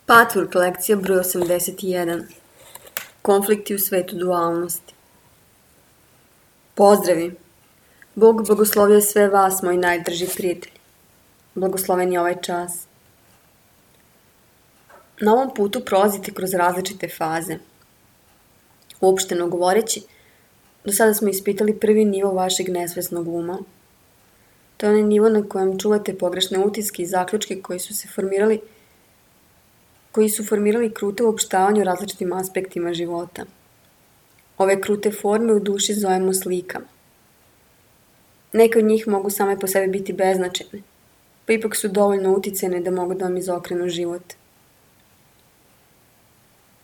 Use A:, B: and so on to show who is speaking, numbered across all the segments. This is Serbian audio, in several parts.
A: Patchwork lekcija broj 81. Konflikti u svetu dualnosti. Pozdravi! Bog blagoslovio sve vas, moji najdrži prijatelji. Blagosloven je ovaj čas. Na ovom putu prolazite kroz različite faze. Uopšteno govoreći, do sada smo ispitali prvi nivo vašeg nesvesnog uma. To je onaj nivo na kojem čuvate pogrešne utiske i zaključke koji su formirali krute uopštavanje u različitim aspektima života. Ove krute forme u duši zovemo slikama. Neke od njih mogu same po sebi biti beznačajne, pa ipak su dovoljno uticajne da mogu da vam izokrenu život.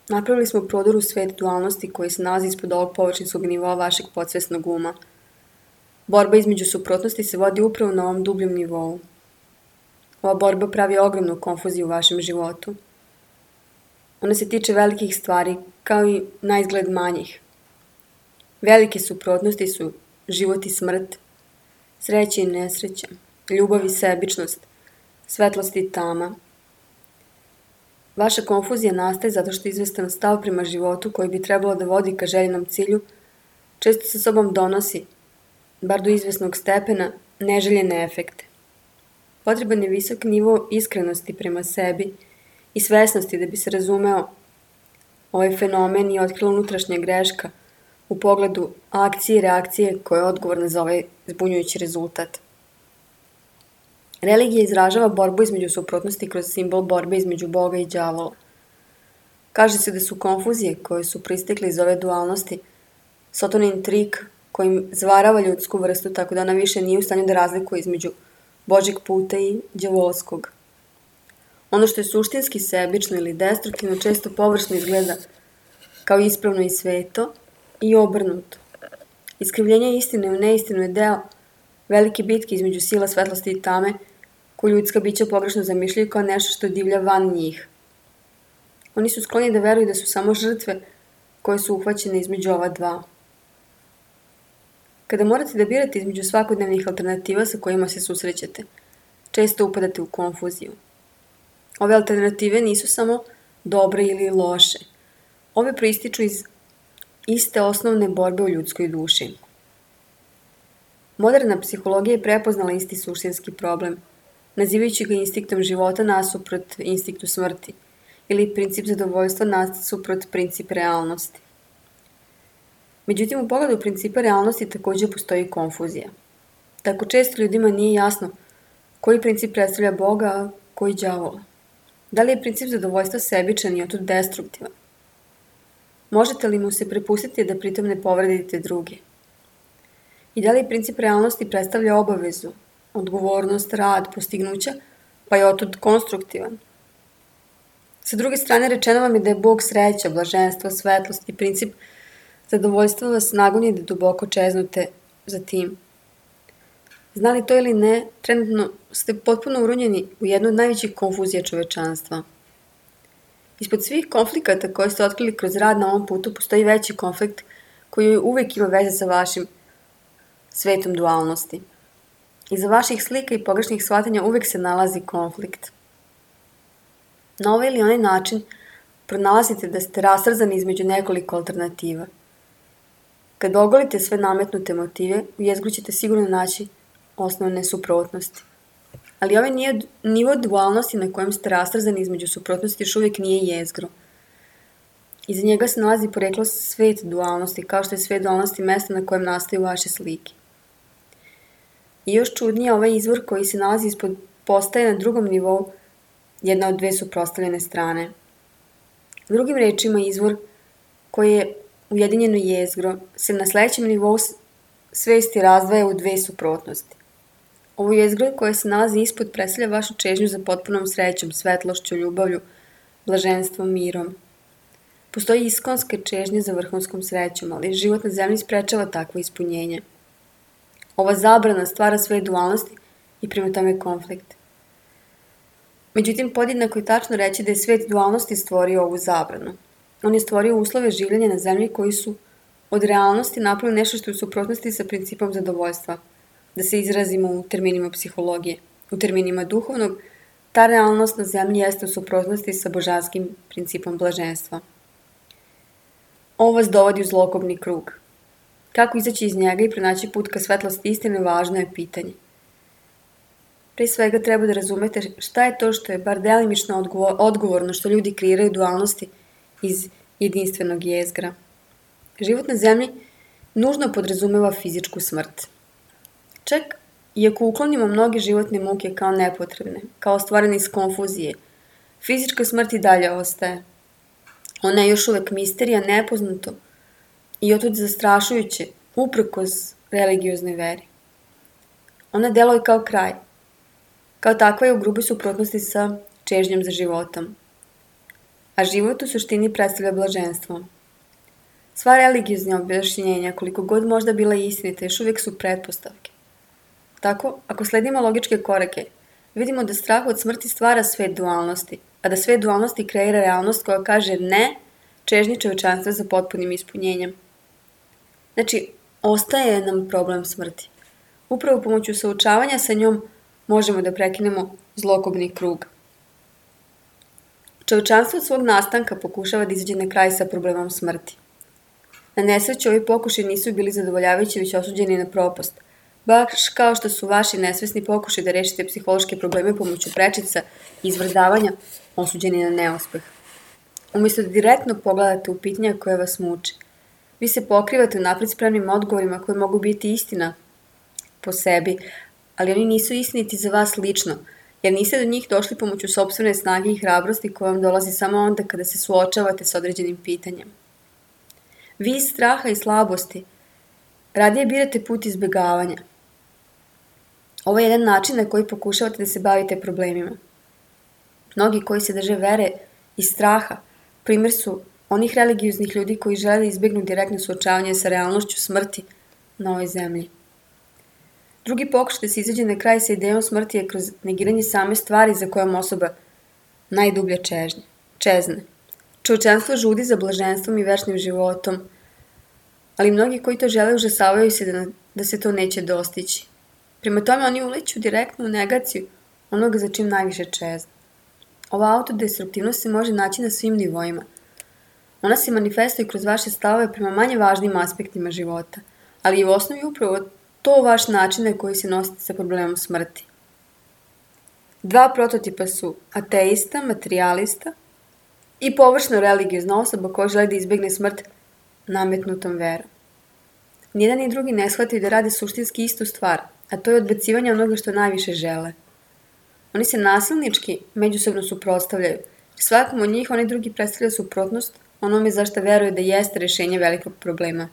A: Napravili smo prodor u svet dualnosti koji se nalazi ispod ovog površinskog nivoa vašeg podsvesnog uma. Borba između suprotnosti se vodi upravo na ovom dubljem nivou. Ova borba pravi ogromnu konfuziju u vašem životu. Ona se tiče velikih stvari, kao i na izgled manjih. Velike suprotnosti su život i smrt, sreća i nesreća, ljubav i sebičnost, svetlost i tama. Vaša konfuzija nastaje zato što izvestan stav prema životu koji bi trebalo da vodi ka željenom cilju često sa sobom donosi, bar do izvesnog stepena, neželjene efekte. Potreban je visok nivo iskrenosti prema sebi i svesnosti da bi se razumeo ovaj fenomen i otkrila unutrašnja greška u pogledu akcije i reakcije koja je odgovorna za ovaj zbunjujući rezultat. Religija izražava borbu između suprotnosti kroz simbol borbe između Boga i đavola. Kaže se da su konfuzije koje su proistekle iz ove dualnosti Sotonin trik kojim zvarava ljudsku vrstu tako da ona više nije u stanju da razlikuje između Božjeg puta i đavolskog. Ono što je suštinski sebično ili destruktivno često površno izgleda kao ispravno i sveto i obrnuto. Iskrivljenje istine u neistinu je deo velike bitke između sila svetlosti i tame koju ljudska bića pogrešno zamišljaju kao nešto što divlja van njih. Oni su skloni da veruju da su samo žrtve koje su uhvaćene između ova dva. Kada morate da birate između svakodnevnih alternativa sa kojima se susrećete, često upadate u konfuziju. Ove alternative nisu samo dobre ili loše. Ove proističu iz iste osnovne borbe u ljudskoj duši. Moderna psihologija je prepoznala isti suštinski problem, nazivajući ga instinktom života nasuprot instinktu smrti ili princip zadovoljstva nasuprot princip realnosti. Međutim, u pogledu principa realnosti također postoji konfuzija. Tako često ljudima nije jasno koji princip predstavlja Boga, a koji đavola. Da li je princip zadovoljstva sebičan i otud destruktivan? Možete li mu se prepustiti da pritom ne povredite druge? I da li princip realnosti predstavlja obavezu, odgovornost, rad, postignuća, pa je otud konstruktivan? Sa druge strane, rečeno vam je da je Bog sreća, blaženstvo, svetlost i princip zadovoljstva vas nagoni da duboko čeznute za tim. Znali to ili ne, trenutno ste potpuno urunjeni u jednu od najvećih konfuzija čovečanstva. Ispod svih konflikata koje ste otkrili kroz rad na ovom putu postoji veći konflikt koji uvijek ima veze sa vašim svetom dualnosti. Iza vaših slika i pogrešnih shvatanja uvijek se nalazi konflikt. Na ovaj ili onaj način pronalazite da ste rastrzani između nekoliko alternativa. Kad ogolite sve nametnute motive, u jezgru ćete sigurno naći osnovne suprotnosti. Ali ovaj nivo dualnosti na kojem ste rastrzani između suprotnosti još uvijek nije jezgro. Iza njega se nalazi poreklo svet dualnosti, kao što je svet dualnosti mesta na kojem nastaju vaše slike. I još čudnije, ovaj izvor koji se nalazi ispod postaje na drugom nivou jedna od dve suprotstavljene strane. Drugim rečima, izvor koji je ujedinjeno jezgro se na sledećem nivou svesti razdvaja u dve suprotnosti. Ovo jezgro koje se nalazi ispod predstavlja vašu čežnju za potpunom srećom, svetlošću, ljubavlju, blaženstvom, mirom. Postoji iskonske čežnje za vrhunskom srećom, ali život na zemlji sprečava takvo ispunjenje. Ova zabrana stvara svoje dualnosti i prema tome konflikt. Međutim, podjednako je tačno reći da je svet dualnosti stvorio ovu zabranu. On je stvorio uslove življenja na zemlji koji su od realnosti napravili nešto što je u suprotnosti sa principom zadovoljstva, da se izrazimo u terminima psihologije, u terminima duhovnog, Ta realnost na zemlji jeste u suprotnosti sa božanskim principom blaženstva. Ovo vas dovodi u zlokobni krug. Kako izaći iz njega i pronaći put ka svetlosti istine, važno je pitanje. Pre svega treba da razumete šta je to što je bar delimično odgovorno što ljudi kreiraju dualnosti iz jedinstvenog jezgra. Život na zemlji nužno podrazumeva fizičku smrt. Čak i ako uklonimo mnoge životne muke kao nepotrebne, kao stvorene iz konfuzije, fizička smrt i dalje ostaje. Ona je još uvek misterija, nepoznato i otud zastrašujuće, uprkos religioznoj veri. Ona deluje kao kraj. Kao takva je u gruboj suprotnosti sa čežnjom za životom. A život u suštini predstavlja blaženstvo. Sva religiozna objašnjenja, koliko god možda bila istinita, još uvijek su pretpostavke. Tako, ako sledimo logičke korake, vidimo da strah od smrti stvara svet dualnosti, a da svet dualnosti kreira realnost koja kaže ne čežnji čovečanstva za potpunim ispunjenjem. Znači, ostaje nam problem smrti. Upravo pomoću suočavanja sa njom možemo da prekinemo zlokobni krug. Čovečanstvo od svog nastanka pokušava da izađe na kraj sa problemom smrti. Na nesreću ovi pokušaji nisu bili zadovoljavajući, već osuđeni na propast. Baš kao što su vaši nesvesni pokušaji da rešite psihološke probleme pomoću prečica i izvrdavanja osuđeni na neuspeh. Umjesto da direktno pogledate u pitanja koje vas muče, vi se pokrivate napred spremnim odgovorima koji mogu biti istina po sebi, ali oni nisu istiniti za vas lično, jer niste do njih došli pomoću sopstvene snage i hrabrosti koja vam dolazi samo onda kada se suočavate s određenim pitanjem. Vi iz straha i slabosti radije birate put izbjegavanja. Ovo je jedan način na koji pokušavate da se bavite problemima. Mnogi koji se drže vere i straha primjer su onih religioznih ljudi koji žele da izbjegnu direktno suočavanje sa realnošću smrti na ovoj zemlji. Drugi pokušaj da se izađe na kraj sa idejom smrti je kroz negiranje same stvari za kojom osoba najdublje čezne. Čovečanstvo žudi za blaženstvom i večnim životom, ali mnogi koji to žele užasavaju se da se to neće dostići. Prema tome oni uleću direktno u negaciju onoga za čim najviše čezne. Ova autodestruktivnost se može naći na svim nivoima. Ona se manifestuje kroz vaše stavove prema manje važnim aspektima života, ali i u osnovi upravo to vaš način na koji se nosite sa problemom smrti. Dva prototipa su ateista, materijalista i površno religiozna osoba koja želi da izbjegne smrt nametnutom verom. Nijedan i drugi ne shvataju da rade suštinski istu stvar, a to je odbacivanje onoga što najviše žele. Oni se nasilnički međusobno suprotstavljaju, jer svakom od njih oni drugi predstavlja suprotnost onome zašto veruje da jeste rešenje velikog problema.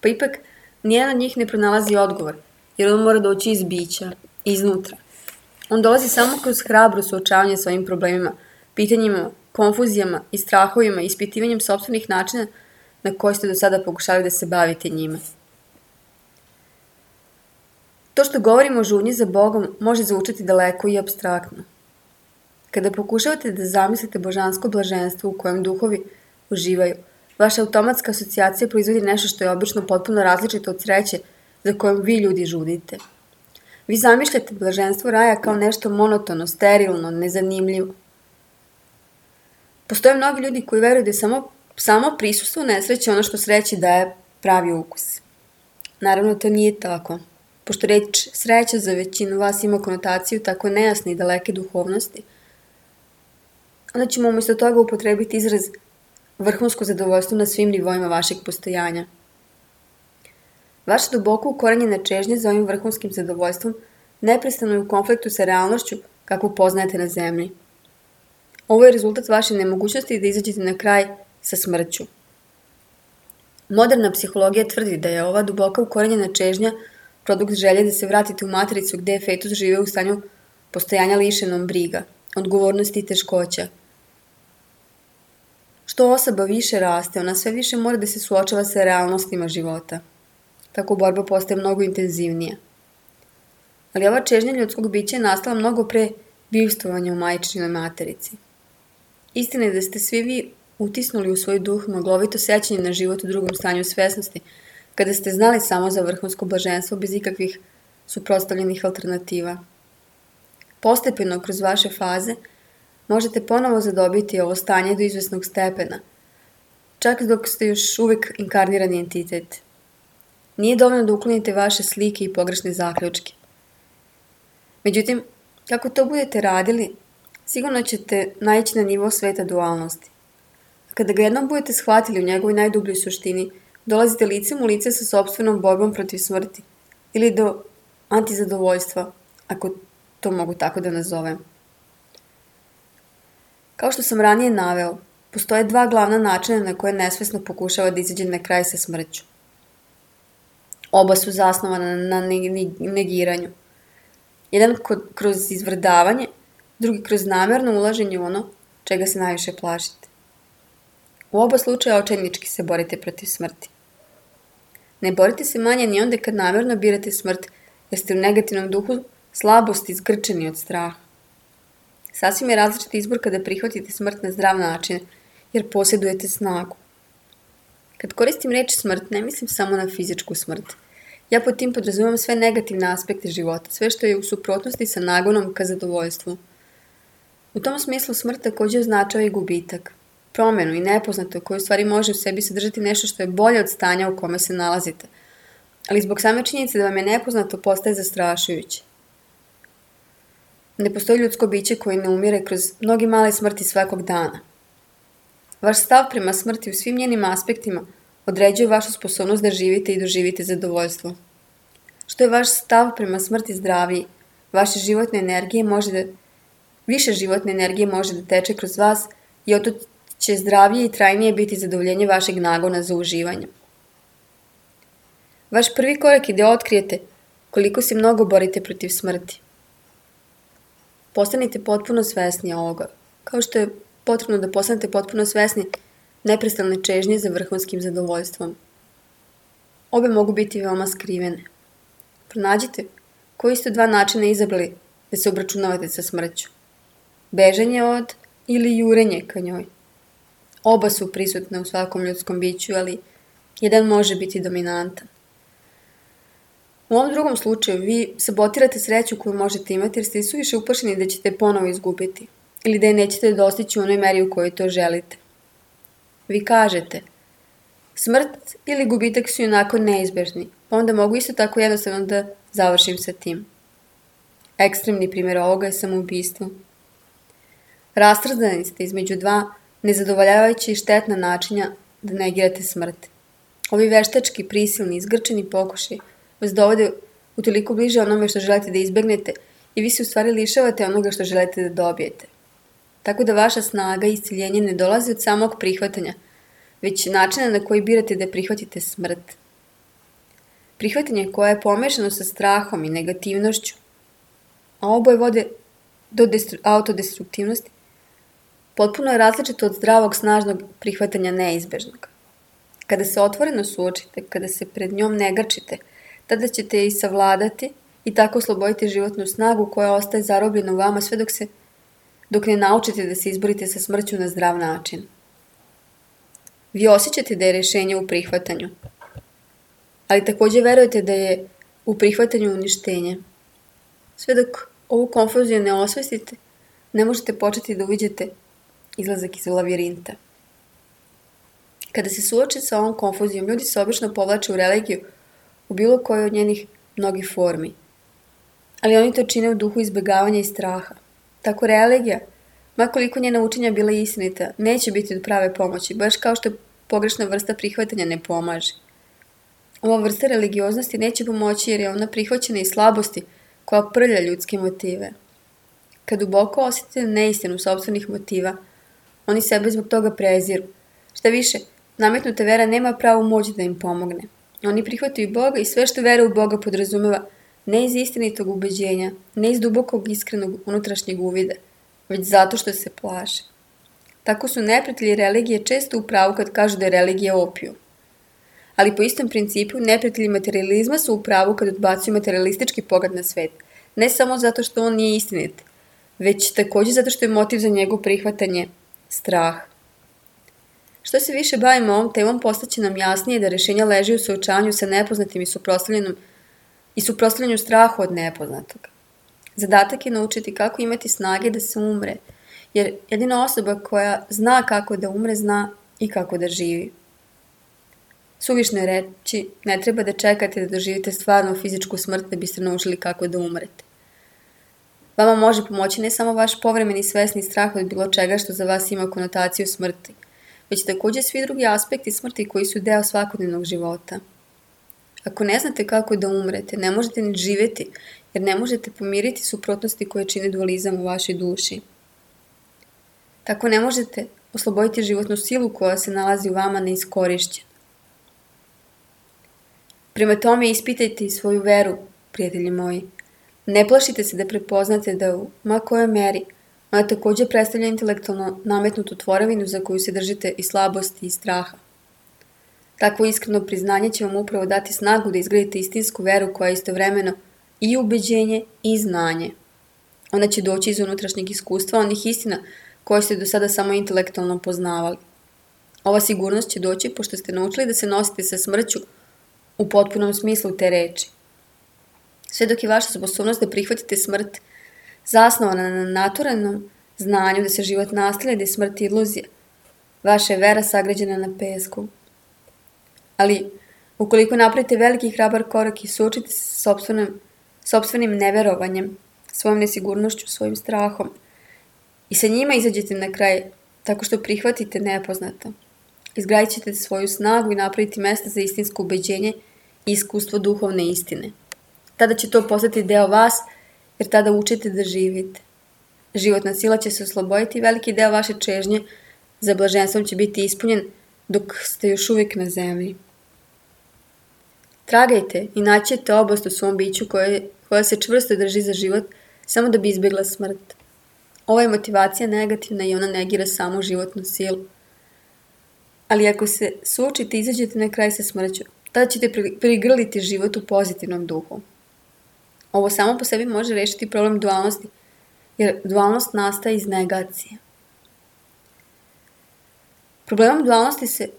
A: Pa ipak, nijedan od njih ne pronalazi odgovor, jer on mora doći iz bića, iznutra. On dolazi samo kroz hrabro suočavanje s ovim problemima, pitanjima, konfuzijama i strahovima i ispitivanjem sopstvenih načina na koji ste do sada pokušali da se bavite njima. To što govorimo o žudnji za Bogom može zvučati daleko i apstraktno. Kada pokušavate da zamislite božansko blaženstvo u kojem duhovi uživaju, vaša automatska asocijacija proizvodi nešto što je obično potpuno različito od sreće za kojom vi ljudi žudite. Vi zamišljate blaženstvo raja kao nešto monotono, sterilno, nezanimljivo. Postoje mnogi ljudi koji veruju da je samo prisustvo nesreće ono što sreći daje pravi ukus. Naravno, to nije tako. Pošto reč sreća za većinu vas ima konotaciju tako nejasne i daleke duhovnosti, onda ćemo umjesto toga upotrebiti izraz vrhunsko zadovoljstvo na svim nivoima vašeg postojanja. Vaša duboko ukorenjena čežnja za ovim vrhunskim zadovoljstvom neprestano je u konfliktu sa realnošću kakvu poznajete na zemlji. Ovo je rezultat vaše nemogućnosti da izađete na kraj sa smrću. Moderna psihologija tvrdi da je ova duboka ukorenjena čežnja produkt želje da se vratite u matricu gde je fetus žive u stanju postojanja lišenom briga, odgovornosti i teškoća. Što osoba više raste, ona sve više mora da se suočava sa realnostima života. Tako borba postaje mnogo intenzivnija. Ali ova čežnja ljudskog bića je nastala mnogo pre bivstvovanja u majčinoj materici. Istina je da ste svi vi utisnuli u svoj duh maglovito sećanje na život u drugom stanju svesnosti, kada ste znali samo za vrhunsko blaženstvo bez ikakvih suprotstavljenih alternativa. Postepeno kroz vaše faze možete ponovo zadobiti ovo stanje do izvesnog stepena, čak dok ste još uvijek inkarnirani entitet. Nije dovoljno da uklonite vaše slike i pogrešne zaključke. Međutim, kako to budete radili, sigurno ćete naići na nivo sveta dualnosti. A kada ga jednom budete shvatili u njegovoj najdubljoj suštini, dolazite licem u lice sa sopstvenom borbom protiv smrti ili do antizadovoljstva, ako to mogu tako da nazovem. Kao što sam ranije naveo, postoje dva glavna načina na koje nesvesno pokušava da izađe na kraj sa smrću. Oba su zasnovana na negiranju. Jedan kroz izvrdavanje, drugi kroz namjerno ulaženje u ono čega se najviše plašite. U oba slučaja očajnički se borite protiv smrti. Ne borite se manje ni onda kad namjerno birate smrt, jer ste u negativnom duhu slabosti zgrčeni od straha. Sasvim je različit izbor kada prihvatite smrt na zdrav način, jer posjedujete snagu. Kad koristim reč smrt, ne mislim samo na fizičku smrt. Ja pod tim podrazumijem sve negativne aspekte života, sve što je u suprotnosti sa nagonom ka zadovoljstvu. U tom smislu smrt također označava i gubitak, promjenu i nepoznato koje u stvari može u sebi sadržati nešto što je bolje od stanja u kome se nalazite, ali zbog same činjenice da vam je nepoznato postaje zastrašujuće. Ne postoji ljudsko biće koje ne umire kroz mnogi male smrti svakog dana. Vaš stav prema smrti u svim njenim aspektima određuje vašu sposobnost da živite i doživite zadovoljstvo. Što je vaš stav prema smrti zdraviji, više životne energije može da teče kroz vas i oto će zdravije i trajnije biti zadovoljenje vašeg nagona za uživanje. Vaš prvi korak je da otkrijete koliko se mnogo borite protiv smrti. Postanite potpuno svesni ovoga, kao što je potrebno da postanete potpuno svesni neprestane čežnje za vrhunskim zadovoljstvom. Obe mogu biti veoma skrivene. Pronađite koji ste dva načina izabrali da se obračunavate sa smrću. Bežanje od ili jurenje ka njoj. Oba su prisutne u svakom ljudskom biću, ali jedan može biti dominantan. U ovom drugom slučaju vi sabotirate sreću koju možete imati jer ste suviše uplašeni da ćete ponovo izgubiti ili da je nećete dostići u onoj meri u kojoj to želite. Vi kažete, smrt ili gubitak su onako neizbežni, pa onda mogu isto tako jednostavno da završim sa tim. Ekstremni primjer ovoga je samoubistvo. Rastrzani ste između dva nezadovoljavajuća i štetna načina da negirate smrt. Ovi veštački, prisilni, izgrčeni pokušaj vas dovode utoliko bliže onome što želite da izbegnete i vi se u stvari lišavate onoga što želite da dobijete. Tako da vaša snaga i isciljenje ne dolazi od samog prihvatanja, već načina na koji birate da prihvatite smrt. Prihvatanje koje je pomešano sa strahom i negativnošću, a oboje vode do autodestruktivnosti, potpuno je različito od zdravog, snažnog prihvatanja neizbežnog. Kada se otvoreno suočite, kada se pred njom ne grčite, tada ćete je i savladati i tako osloboditi životnu snagu koja ostaje zarobljena u vama sve dok ne naučite da se izborite sa smrću na zdrav način. Vi osjećate da je rješenje u prihvatanju, ali također verujete da je u prihvatanju uništenje. Sve dok ovu konfuziju ne osvestite, ne možete početi da uviđate izlazak iz lavirinta. Kada se suoče sa ovom konfuzijom, ljudi se obično povlače u religiju u bilo kojoj od njenih mnogih formi. Ali oni to čine u duhu izbjegavanja i straha. Tako religija, makoliko njena učenja bila istinita, neće biti od prave pomoći, baš kao što pogrešna vrsta prihvatanja ne pomaže. Ova vrsta religioznosti neće pomoći jer je ona prihvaćena iz slabosti koja prlja ljudske motive. Kad duboko osjetite neistinu sopstvenih motiva, oni sebe zbog toga preziru. Šta više, nametnuta vera nema pravu moć da im pomogne. Oni prihvataju Boga i sve što vera u Boga podrazumeva, ne iz istinitog ubeđenja, ne iz dubokog iskrenog unutrašnjeg uvida, već zato što se plaše. Tako su neprijatelji religije često u pravu kad kažu da je religija opijum. Ali po istom principu neprijatelji materializma su u pravu kad odbacuju materialistički pogled na svet, ne samo zato što on nije istinit, već također zato što je motiv za njegovo prihvatanje strah. Što se više bavimo ovom temom, postaće nam jasnije da rješenja leži u suočavanju sa nepoznatim i suprotstavljanju strahu od nepoznatog. Zadatak je naučiti kako imati snage da se umre, jer jedina osoba koja zna kako da umre, zna i kako da živi. Suvišno je reći, ne treba da čekate da doživite stvarnu fizičku smrt da biste naučili kako da umrete. Vama može pomoći ne samo vaš povremeni svesni strah od bilo čega što za vas ima konotaciju smrti, već također svi drugi aspekti smrti koji su deo svakodnevnog života. Ako ne znate kako da umrete, ne možete ni živjeti, jer ne možete pomiriti suprotnosti koje čine dualizam u vašoj duši. Tako ne možete osloboditi životnu silu koja se nalazi u vama neiskorišćena. Prema tome ispitajte i svoju veru, prijatelji moji. Ne plašite se da prepoznate da u ma kojoj meri ona također predstavlja intelektualno nametnutu tvorevinu za koju se držite i slabosti i straha. Takvo iskreno priznanje će vam upravo dati snagu da izgradite istinsku veru koja je istovremeno i ubeđenje i znanje. Ona će doći iz unutrašnjeg iskustva onih istina koje ste do sada samo intelektualno poznavali. Ova sigurnost će doći pošto ste naučili da se nosite sa smrću u potpunom smislu te reči. Sve dok je vaša sposobnost da prihvatite smrt zasnovana na naturalnom znanju da se život nastavlja, da je smrt iluzija, vaša je vera sagrađena na pesku. Ali, ukoliko napravite veliki hrabar korak i suočite se sa sopstvenim neverovanjem, svojom nesigurnošću, svojim strahom i sa njima izađete na kraj tako što prihvatite nepoznato, izgradit ćete svoju snagu i napraviti mesta za istinsko ubeđenje i iskustvo duhovne istine. Tada će to postati deo vas, jer tada učite da živite. Životna sila će se osloboditi i veliki deo vaše čežnje za blaženstvom će biti ispunjen dok ste još uvijek na zemlji. Tragajte i naći ćete oblast u svom biću koja se čvrsto drži za život samo da bi izbjegla smrt. Ova je motivacija negativna i ona negira samu životnu silu. Ali ako se suočite i izađete na kraj sa smrću, tada ćete prigrliti život u pozitivnom duhu. Ovo samo po sebi može rešiti problem dualnosti, jer dualnost nastaje iz negacije. Problemom dualnosti se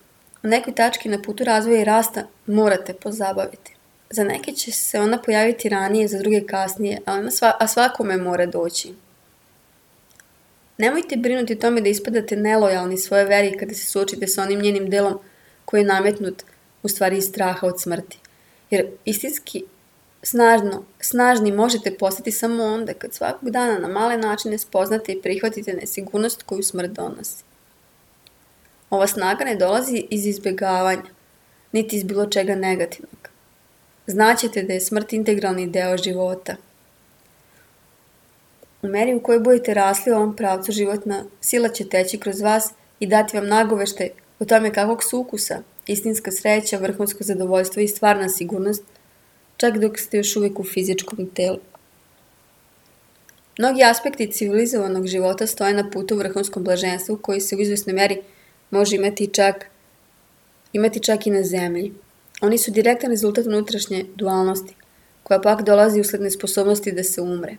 A: u nekoj tački na putu razvoja i rasta morate pozabaviti. Za neke će se ona pojaviti ranije, za druge kasnije, a svakome mora doći. Nemojte brinuti o tome da ispadate nelojalni svoje veri kada se suočite sa onim njenim delom koji je nametnut u stvari iz straha od smrti. Jer istinski snažni možete postati samo onda kad svakog dana na male načine spoznate i prihvatite nesigurnost koju smrt donosi. Ova snaga ne dolazi iz izbjegavanja, niti iz bilo čega negativnog. Znaćete da je smrt integralni deo života. U meri u kojoj budete rasli u ovom pravcu, životna sila će teći kroz vas i dati vam nagoveštaj o tome kakvog su ukusa, istinska sreća, vrhunsko zadovoljstvo i stvarna sigurnost, čak dok ste još uvijek u fizičkom telu. Mnogi aspekti civilizovanog života stoje na putu vrhunskom blaženstvu koji se u izvjesnoj meri može imati čak i na zemlji. Oni su direktan rezultat unutrašnje dualnosti, koja pak dolazi usled nesposobnosti da se umre.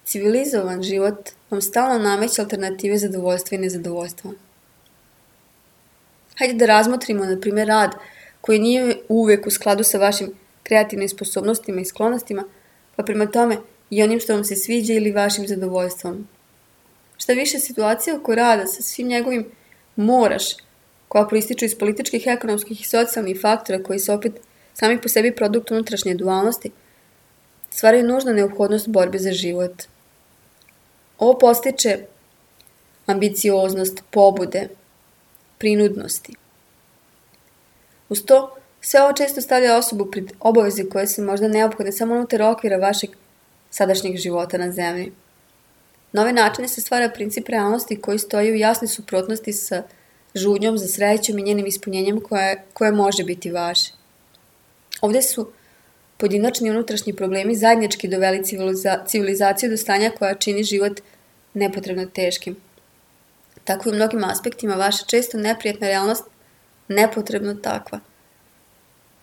A: Civilizovan život vam stalno nameće alternative zadovoljstva i nezadovoljstva. Hajde da razmotrimo, na primjer, rad koji nije uvijek u skladu sa vašim kreativnim sposobnostima i sklonostima, pa prema tome i onim što vam se sviđa ili vašim zadovoljstvom. Šta više, situacija oko rada sa svim njegovim moraš, koja proističu iz političkih, ekonomskih i socijalnih faktora koji su opet sami po sebi produkt unutrašnje dualnosti, stvaraju nužnu neophodnost borbe za život. Ovo postiče ambicioznost, pobude, prinudnosti. Uz to, sve ovo često stavlja osobu pred obaveze koje su možda neophodne samo unutar okvira vašeg sadašnjeg života na zemlji. Na ovaj način se stvara princip realnosti koji stoji u jasnoj suprotnosti sa žudnjom za srećom i njenim ispunjenjem koje može biti vaše. Ovdje su pojedinačni unutrašnji problemi zajednički doveli civilizaciju do stanja koja čini život nepotrebno teškim. Tako i u mnogim aspektima vaša često neprijatna realnost nepotrebno takva,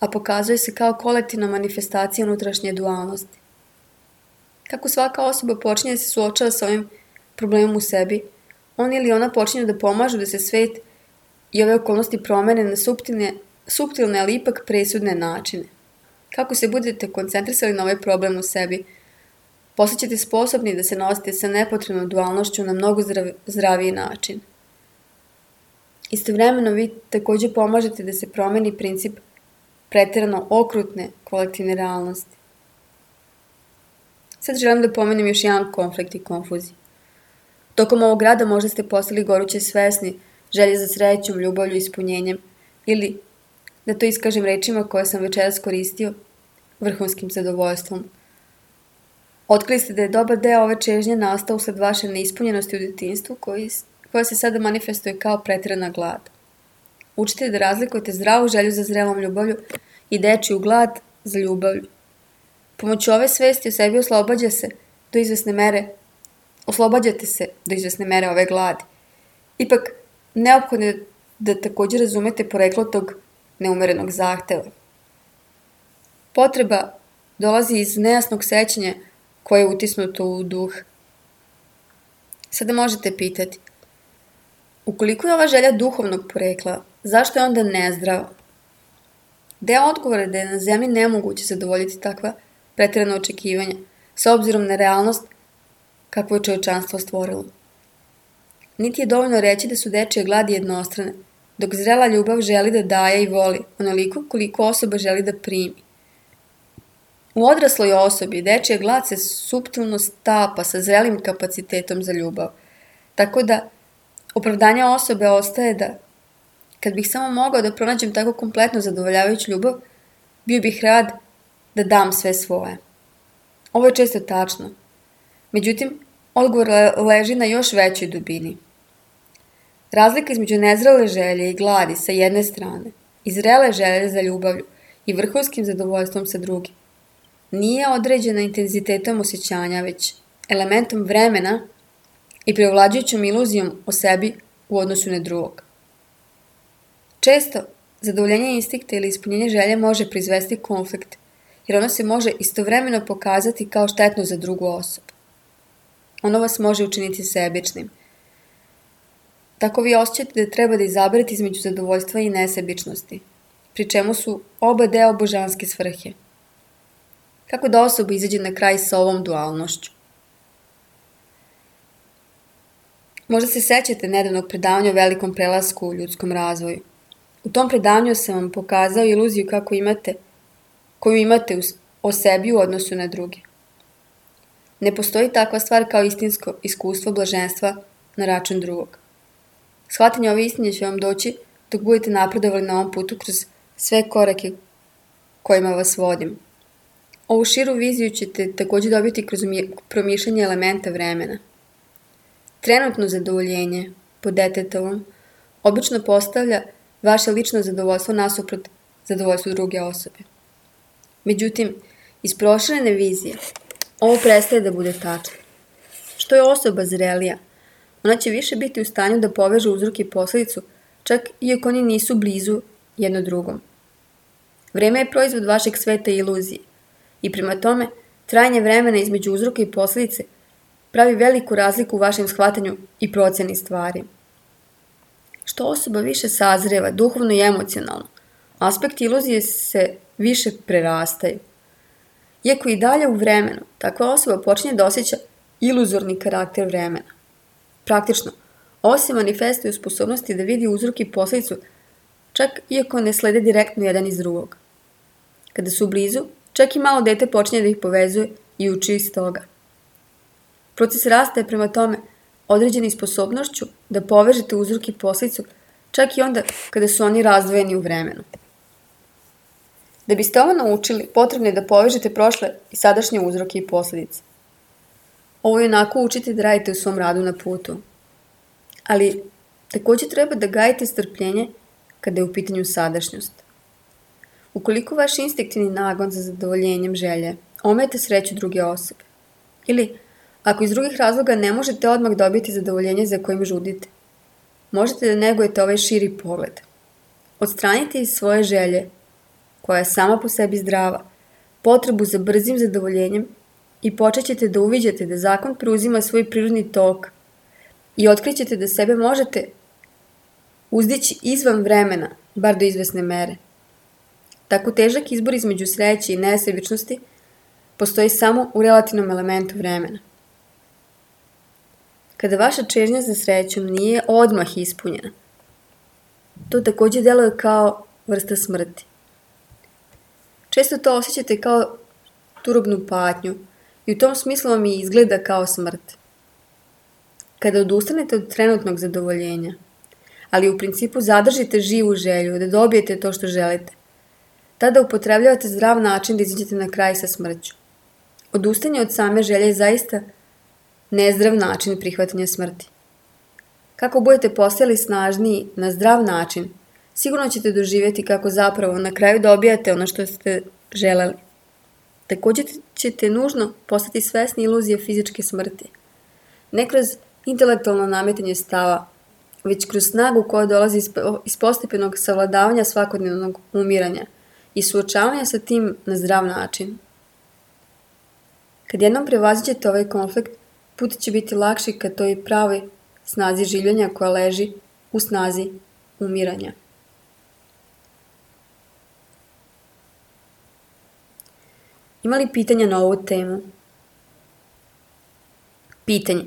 A: a pokazuje se kao kolektivna manifestacija unutrašnje dualnosti. Kako svaka osoba počinje da se suočava sa ovim problemom u sebi, on ili ona počinju da pomažu da se svet i ove okolnosti promene na suptilne, ali ipak presudne načine. Kako se budete koncentrisali na ovaj problem u sebi, postaćete sposobni da se nosite sa nepotrebnom dualnošću na mnogo zdraviji način. Istovremeno vi takođe pomažete da se promeni princip preterano okrutne kolektivne realnosti. Sad želim da pomenem još jedan konflikt i konfuziju. Tokom ovog rada možda ste postali goruće svesni želje za srećom, ljubavlju i ispunjenjem, ili, da to iskažem rečima koje sam večeras koristio, vrhunskim zadovoljstvom. Otkrili ste da je dobar deo ove čežnje nastao usled vaše neispunjenosti u detinjstvu koja se sada manifestuje kao preterana glad. Učite da razlikujete zdravu želju za zrelom ljubavlju i dečiju glad za ljubavlju. Pomoću ove svesti o sebi oslobađate se do izvesne mere ove gladi. Ipak, neophodno je da takođe razumete poreklo tog neumerenog zahteva. Potreba dolazi iz nejasnog sećanja koje je utisnuto u duh. Sada možete pitati, ukoliko je ova želja duhovnog porekla, zašto je onda nezdrava? Deo odgovora je da je na zemlji nemoguće zadovoljiti takva preterana očekivanja, s obzirom na realnost kakvu je čovječanstvo stvorilo. Niti je dovoljno reći da su dečije gladi jednostrane, dok zrela ljubav želi da daje i voli, onoliko koliko osoba želi da primi. U odrasloj osobi dečija glad se suptilno stapa sa zrelim kapacitetom za ljubav, tako da opravdanje osobe ostaje da, kad bih samo mogao da pronađem tako kompletno zadovoljavajuću ljubav, bio bih rad da dam sve svoje. Ovo je često tačno. Međutim, odgovor leži na još većoj dubini. Razlika između nezrele želje i gladi sa jedne strane i zrele želje za ljubavlju i vrhunskim zadovoljstvom sa druge nije određena intenzitetom osjećanja, već elementom vremena i preovlađujućom iluzijom o sebi u odnosu na drugog. Često, zadovoljenje instinkta ili ispunjenje želje može proizvesti konflikt, jer ono se može istovremeno pokazati kao štetno za drugu osobu. Ono vas može učiniti sebičnim. Tako vi osjećate da treba da izaberete između zadovoljstva i nesebičnosti, pri čemu su oba deo božanske svrhe. Kako da osoba izađe na kraj sa ovom dualnošću? Možda se sećate nedavnog predavanja o velikom prelasku u ljudskom razvoju. U tom predavanju sam vam pokazao iluziju koju imate o sebi u odnosu na druge. Ne postoji takva stvar kao istinsko iskustvo blaženstva na račun drugog. Shvatanje ove istine će vam doći dok budete napredovali na ovom putu kroz sve korake kojima vas vodim. Ovu širu viziju ćete takođe dobiti kroz promišljanje elementa vremena. Trenutno zadovoljenje po detetovom obično postavlja vaše lično zadovoljstvo nasuprot zadovoljstvu druge osobe. Međutim, iz proširene vizije ovo prestaje da bude tačno. Što je osoba zrelija, ona će više biti u stanju da poveže uzrok i posledicu, čak iako oni nisu blizu jedno drugom. Vreme je proizvod vašeg sveta i iluzije i prema tome trajanje vremena između uzroka i posledice pravi veliku razliku u vašem shvatanju i proceni stvari. Što osoba više sazreva, duhovno i emocionalno, aspekti iluzije se više prerastaju. Iako i dalje u vremenu, takva osoba počinje da osjeća iluzorni karakter vremena. Praktično, ovo se manifestuje u sposobnosti da vidi uzrok i posledicu, čak iako ne slede direktno jedan iz drugog. Kada su blizu, čak i malo dete počinje da ih povezuje i uči iz toga. Proces rasta je prema tome određeni sposobnošću da povežete uzrok i posledicu, čak i onda kada su oni razdvojeni u vremenu. Da biste ovo naučili, potrebno je da povežete prošle i sadašnje uzroke i posledice. Ovo jednako učite da radite u svom radu na putu. Ali takođe treba da gajite strpljenje kada je u pitanju sadašnjost. Ukoliko vaš instinktivni nagon za zadovoljenjem želje ometa sreću druge osobe, ili ako iz drugih razloga ne možete odmah dobiti zadovoljenje za kojim žudite, možete da negujete ovaj širi pogled. Odstranite iz svoje želje, koja je sama po sebi zdrava, potrebu za brzim zadovoljenjem i počet ćete da uviđate da zakon preuzima svoj prirodni tok i otkrićete da sebe možete uzdići izvan vremena, bar do izvesne mere. Tako težak izbor između sreće i nesebičnosti postoji samo u relativnom elementu vremena. Kada vaša čežnja za srećom nije odmah ispunjena, to takođe deluje kao vrsta smrti. Često to osjećate kao turobnu patnju i u tom smislu vam i izgleda kao smrt. Kada odustanete od trenutnog zadovoljenja, ali u principu zadržite živu želju da dobijete to što želite, tada upotrebljavate zdrav način da izađete na kraj sa smrću. Odustajanje od same želje je zaista nezdrav način prihvatanja smrti. Kako budete postajali snažniji na zdrav način, sigurno ćete doživjeti kako zapravo na kraju dobijate ono što ste želeli. Takođe ćete nužno postati svesni iluzije fizičke smrti. Ne kroz intelektualno nametanje stava, već kroz snagu koja dolazi iz postepenog savladavanja svakodnevnog umiranja i suočavanja sa tim na zdrav način. Kad jednom prevaziđete ovaj konflikt, put će biti lakši ka toj pravoj snazi življenja koja leži u snazi umiranja. Ima li pitanja na ovu temu? Pitanje.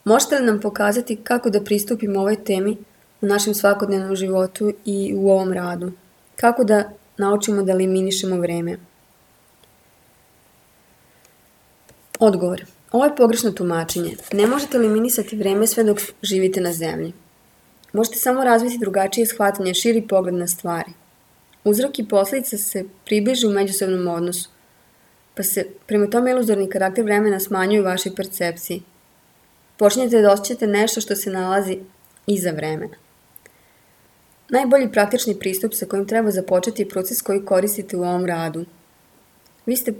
A: Možete li nam pokazati kako da pristupimo ovoj temi u našem svakodnevnom životu i u ovom radu? Kako da naučimo da eliminišemo vreme? Odgovor. Ovo je pogrešno tumačenje. Ne možete eliminisati vreme sve dok živite na zemlji. Možete samo razviti drugačije shvatanje, širi pogled na stvari. Uzrok i posledica se približe u međusobnom odnosu, pa se prema tome iluzorni karakter vremena smanjuje u vašoj percepciji. Počinjete da osjećate nešto što se nalazi iza vremena. Najbolji praktični pristup sa kojim treba započeti je proces koji koristite u ovom radu. Vi ste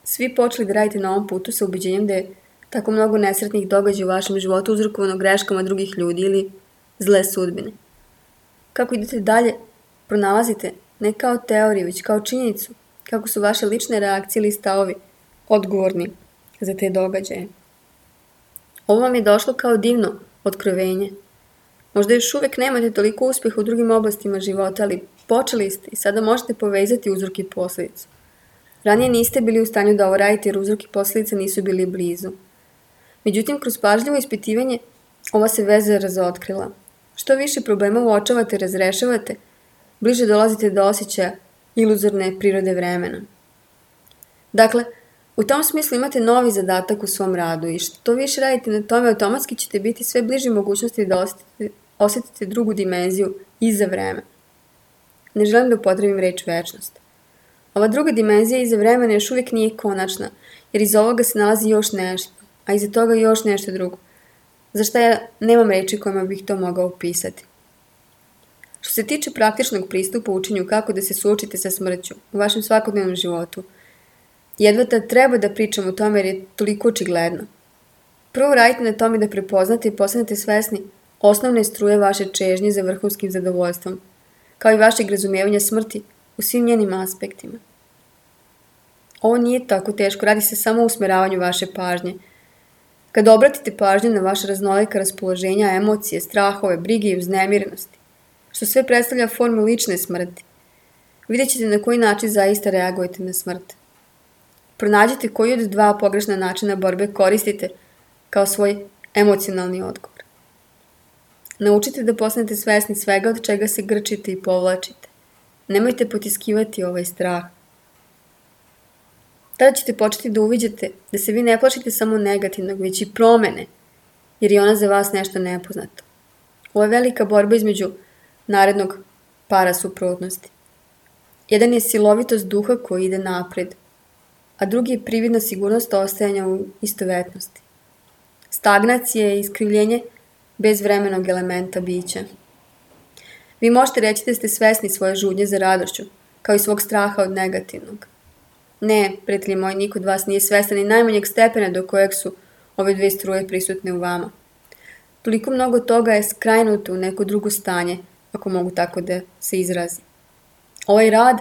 A: svi počeli da radite na ovom putu sa ubeđenjem da je tako mnogo nesretnih događaja u vašem životu uzrokovano greškama drugih ljudi ili zle sudbine. Kako idete dalje, pronalazite ne kao teoriju, već kao činjenicu kako su vaše lične reakcije ili stavovi odgovorni za te događaje. Ovo vam je došlo kao divno otkrovenje. Možda još uvek nemate toliko uspeha u drugim oblastima života, ali počeli ste i sada možete povezati uzrok i posledicu. Ranije niste bili u stanju da ovo radite jer uzrok i posledica nisu bili blizu. Međutim, kroz pažljivo ispitivanje ova se veza razotkrila. Što više problema uočavate i razrešavate, bliže dolazite do osjećaja iluzorne prirode vremena. Dakle, u tom smislu imate novi zadatak u svom radu i što više radite na tome, automatski ćete biti sve bliži mogućnosti da osetite drugu dimenziju iza vremena. Ne želim da upotrebim reč večnost. Ova druga dimenzija iza vremena još uvijek nije konačna, jer iza ovoga se nalazi još nešto, a iza toga još nešto drugo, za šta ja nemam reči kojima bih to mogao opisati. Što se tiče praktičnog pristupa učenju kako da se suočite sa smrću u vašem svakodnevnom životu, jedva da treba da pričam o tome jer je toliko očigledno. Prvo radite na tome da prepoznate i postanete svesni osnovne struje vaše čežnje za vrhunskim zadovoljstvom, kao i vašeg razumijevanja smrti u svim njenim aspektima. Ovo nije tako teško, radi se samo o usmeravanju vaše pažnje. Kada obratite pažnju na vaše raznolika raspoloženja, emocije, strahove, brige i uznemirenosti, što sve predstavlja formu lične smrti, vidjet ćete na koji način zaista reagujete na smrt. Pronađite koji od dva pogrešna načina borbe koristite kao svoj emocionalni odgovor. Naučite da postanete svesni svega od čega se grčite i povlačite. Nemojte potiskivati ovaj strah. Tada ćete početi da uviđate da se vi ne plašite samo negativnog, već i promene, jer je ona za vas nešto nepoznato. Ovo je velika borba između narednog para suprotnosti. Jedan je silovitost duha koji ide napred, a drugi je prividna sigurnost ostajanja u istovetnosti. Stagnacija je iskrivljenje bezvremenog elementa bića. Vi možete reći da ste svesni svoje žudnje za radošću, kao i svog straha od negativnog. Ne, prijatelji moji, niko od vas nije svestan ni najmanjeg stepena do kojeg su ove dve struje prisutne u vama. Toliko mnogo toga je skrajnuto u neko drugo stanje, ako mogu tako da se izrazi. Ovaj rad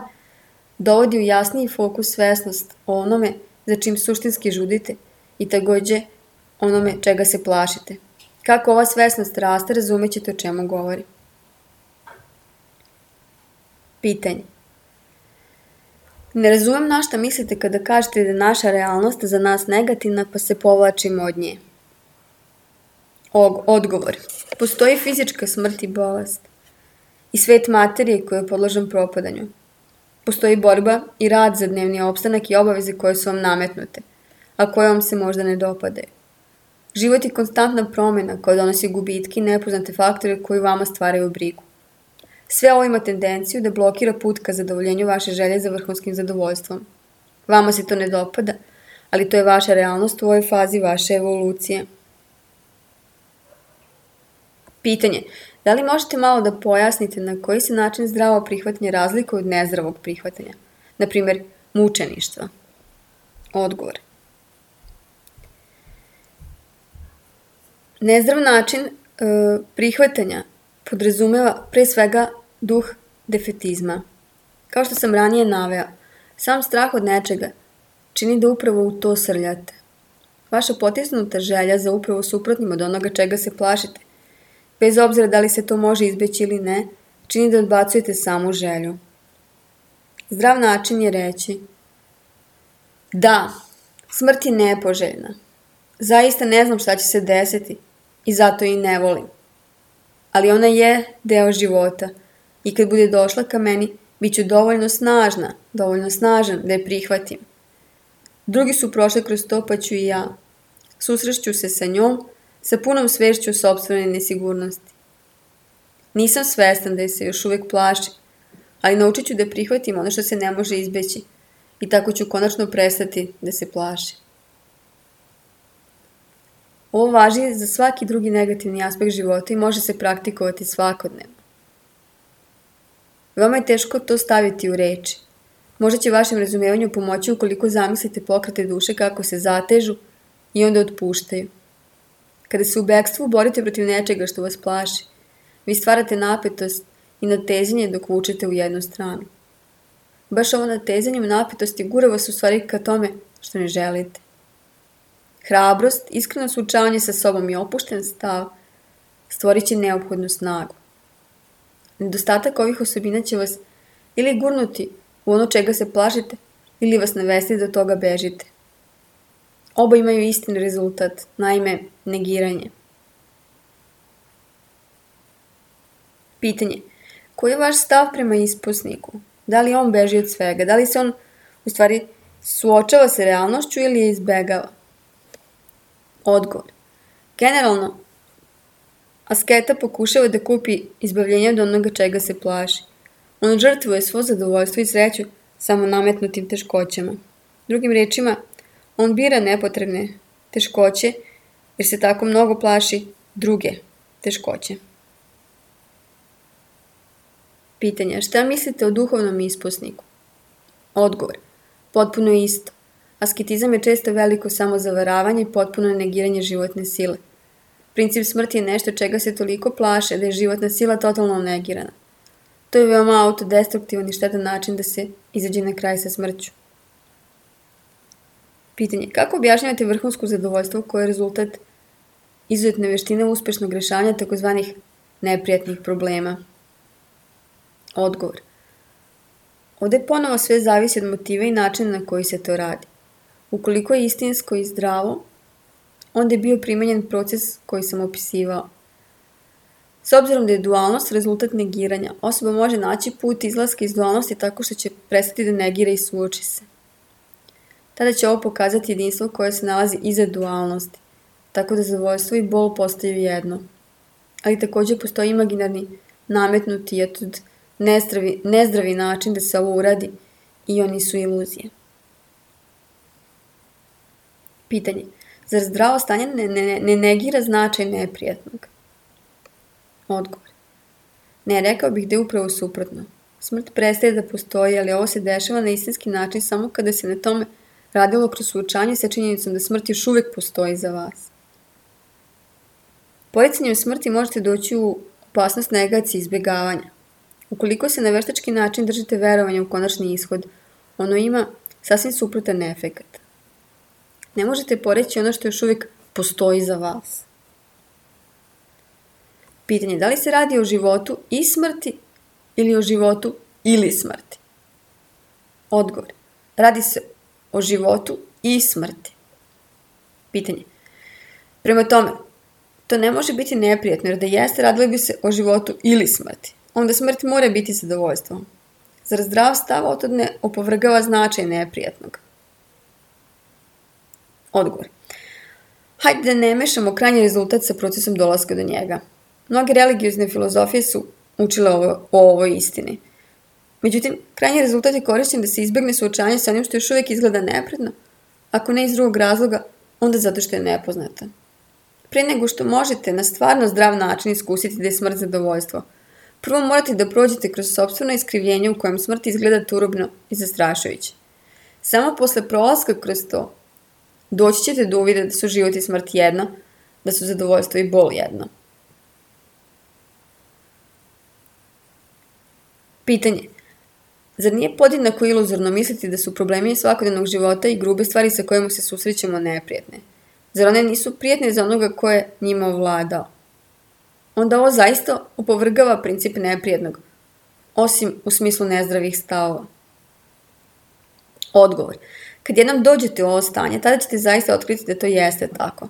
A: dovodi u jasniji fokus svesnost o onome za čim suštinski žudite i takođe onome čega se plašite. Kako ova svesnost raste, razumećete o čemu govori. Pitanje. Ne razumem na šta mislite kada kažete da je naša realnost za nas negativna pa se povlačimo od nje. Odgovor. Postoji fizička smrt i bolest. I svet materije koji je podložan propadanju. Postoji borba i rad za dnevni opstanak i obaveze koje su vam nametnute, a koje vam se možda ne dopadaju. Život je konstantna promjena koja donosi gubitke i nepoznate faktore koji vama stvaraju brigu. Sve ovo ima tendenciju da blokira put ka zadovoljenju vaše želje za vrhunskim zadovoljstvom. Vama se to ne dopada, ali to je vaša realnost u ovoj fazi vaše evolucije. Pitanje. Da li možete malo da pojasnite na koji se način zdravo prihvatanje razlikuje od nezdravog prihvatanja? Naprimjer, mučeništva. Odgovor. Nezdrav način prihvatanja podrazumeva pre svega duh defetizma. Kao što sam ranije naveo, sam strah od nečega čini da upravo u to srljate. Vaša potisnuta želja za upravo suprotnim od onoga čega se plašite, bez obzira da li se to može izbeći ili ne, čini da odbacujete samu želju. Zdrav način je reći: da, smrt je nepoželjna. Zaista ne znam šta će se desiti i zato i ne volim. Ali ona je deo života i kad bude došla ka meni, bit ću dovoljno snažan da je prihvatim. Drugi su prošli kroz to pa ću i ja. Susrešću se sa njom, sa punom svešću sopstvene nesigurnosti. Nisam svestan da je se još uvek plašim, ali naučit ću da prihvatim ono što se ne može izbeći i tako ću konačno prestati da se plašim. Ovo važi za svaki drugi negativni aspekt života i može se praktikovati svakodnevno. Veoma je teško to staviti u reči. Možda će vašem razumevanju pomoći ukoliko zamislite pokrete duše kako se zatežu i onda otpuštaju. Kada se u bekstvu borite protiv nečega što vas plaši, vi stvarate napetost i natezanje dok vučete u jednu stranu. Baš ovo natezanje u napetosti gura vas u stvari ka tome što ne želite. Hrabrost, iskreno suočavanje sa sobom i opušten stav stvorit će neophodnu snagu. Nedostatak ovih osobina će vas ili gurnuti u ono čega se plašite ili vas navesti da od toga bežite. Oba imaju istin rezultat, naime negiranje. Pitanje. Koji je vaš stav prema isposniku? Da li on beži od svega? Da li se on u stvari suočava sa realnošću ili je izbegava? Odgovor. Generalno, asketa pokušava da kupi izbavljenje od onoga čega se plaši. On žrtvuje svo zadovoljstvo i sreću samo nametnutim teškoćama. Drugim rečima, on bira nepotrebne teškoće jer se tako mnogo plaši druge teškoće. Pitanje. Šta mislite o duhovnom isposniku? Odgovor. Potpuno isto. Asketizam je često veliko samozavaravanje i potpuno negiranje životne sile. Princip smrti je nešto čega se toliko plaše da je životna sila totalno negirana. To je veoma autodestruktivan i štetan način da se izađe na kraj sa smrću. Pitanje. Kako objašnjavate vrhunsko zadovoljstvo koje je rezultat izuzetne veštine uspešnog rešavanja tzv. Neprijatnih problema? Odgovor. Ovde ponovo sve zavisi od motiva i načina na koji se to radi. Ukoliko je istinsko i zdravo, onda je bio primenjen proces koji sam opisivao. S obzirom da je dualnost rezultat negiranja, osoba može naći put izlaska iz dualnosti tako što će prestati da negira i suoči se. Tada će ovo pokazati jedinstvo koje se nalazi iza dualnosti, tako da zadovoljstvo i bol postaju jedno. Ali također postoji imaginarni, nametnuti i nezdravi način da se ovo uradi i oni su iluzije. Pitanje. Zar zdravo stanje ne negira značaj neprijatnog? Odgovor. Ne, rekao bih da je upravo suprotno. Smrt prestaje da postoji, ali ovo se dešava na istinski način samo kada se na tome radilo kroz suočanje sa činjenicom da smrt još uvek postoji za vas. Poricanjem smrti možete doći u opasnost negacije i izbjegavanja. Ukoliko se na veštački način držite verovanja u konačni ishod, ono ima sasvim suprotan efekat. Ne možete poreći ono što još uvijek postoji za vas. Pitanje, da li se radi o životu i smrti ili o životu ili smrti? Odgovor. Radi se o životu i smrti. Pitanje. Prema tome, to ne može biti neprijatno, jer da jeste, radilo bi se o životu ili smrti. Onda smrt mora biti zadovoljstvo. Zar zdrav stav od toga ne opovrgava značaj neprijatnog? Odgovor. Hajde da ne mešamo krajnji rezultat sa procesom dolaska do njega. Mnoge religiozne filozofije su učile o ovoj istini. Međutim, krajnji rezultat je korišćen da se izbegne suočavanje sa onim što još uvijek izgleda nepredno, ako ne iz drugog razloga, onda zato što je nepoznata. Pre nego što možete na stvarno zdrav način iskusiti da je smrt zadovoljstvo, prvo morate da prođete kroz sopstveno iskrivljenje u kojem smrt izgleda turobno i zastrašujuće. Samo posle prolaska kroz to, doći ćete do uvida da su život i smrt jedno, da su zadovoljstvo i bol jedno. Pitanje. Zar nije podjednako iluzorno misliti da su problemi svakodnevnog života i grube stvari sa kojima se susrećemo neprijatne? Zar one nisu prijetne za onoga ko je njima ovladao? Onda ovo zaista opovrgava princip neprijetnog, osim u smislu nezdravih stavova. Odgovor. Kad jednom dođete u ovo stanje, tada ćete zaista otkriti da to jeste tako.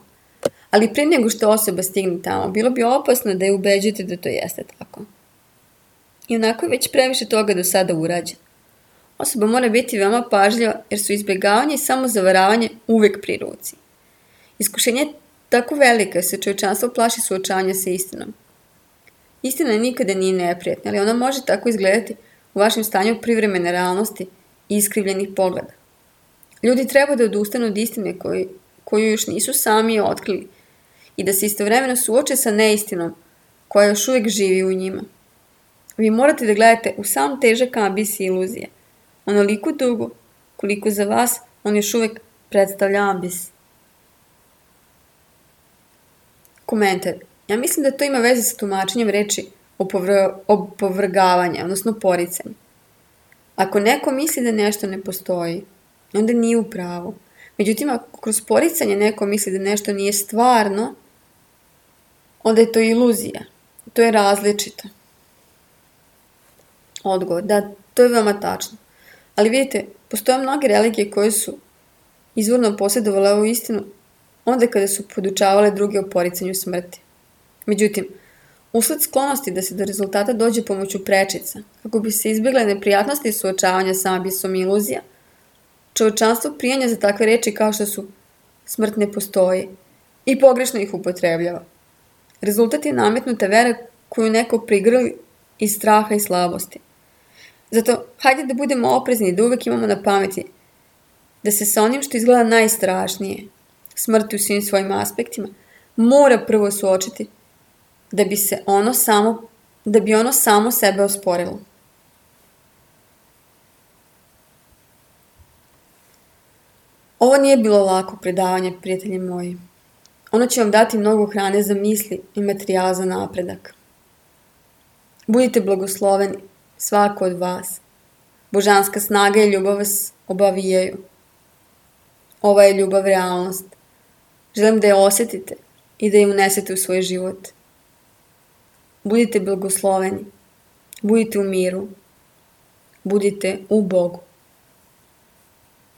A: Ali prije nego što osoba stigne tamo, bilo bi opasno da je ubeđujete da to jeste tako. I onako je već previše toga do sada urađeno. Osoba mora biti veoma pažljiva jer su izbjegavanje i samozavaravanje uvek pri ruci. Iskušenje je tako velika jer se čovječanstvo plaši suočavanja sa istinom. Istina nikada nije neprijatna, ali ona može tako izgledati u vašem stanju privremene realnosti i iskrivljenih pogleda. Ljudi treba da odustanu od istine koju još nisu sami otkrili i da se istovremeno suoče sa neistinom koja još uvijek živi u njima. Vi morate da gledate u sam težak ambis i iluzije, onoliko dugo koliko za vas on još uvijek predstavlja ambis. Komentar. Ja mislim da to ima veze sa tumačenjem reči opovrgavanja, odnosno poricanja. Ako neko misli da nešto ne postoji, onda nije u pravu. Međutim, ako kroz poricanje neko misli da nešto nije stvarno, onda je to iluzija. To je različito. Odgovor. Da, to je veoma tačno. Ali vidite, postoje mnoge religije koje su izvorno posjedovale ovu istinu onda kada su podučavale druge o poricanju smrti. Međutim, usled sklonosti da se do rezultata dođe pomoću prečica, kako bi se izbjegle neprijatnosti suočavanja sa ambisom i iluzija, čovječanstvo prijanja za takve reči kao što su smrt ne postoji i pogrešno ih upotrebljava. Rezultat je nametnuta vera koju neko prigrli iz straha i slabosti. Zato, hajde da budemo oprezni i da uvek imamo na pameti da se sa onim što izgleda najstrašnije, smrti u svim svojim aspektima, mora prvo suočiti da bi ono samo sebe osporilo. Ovo nije bilo lako predavanje, prijatelji moji. Ono će vam dati mnogo hrane za misli i materijala za napredak. Budite blagosloveni, svako od vas. Božanska snaga i ljubav vas obavijaju. Ova je ljubav realnost. Želim da je osjetite i da je unesete u svoj život. Budite blagosloveni. Budite u miru. Budite u Bogu.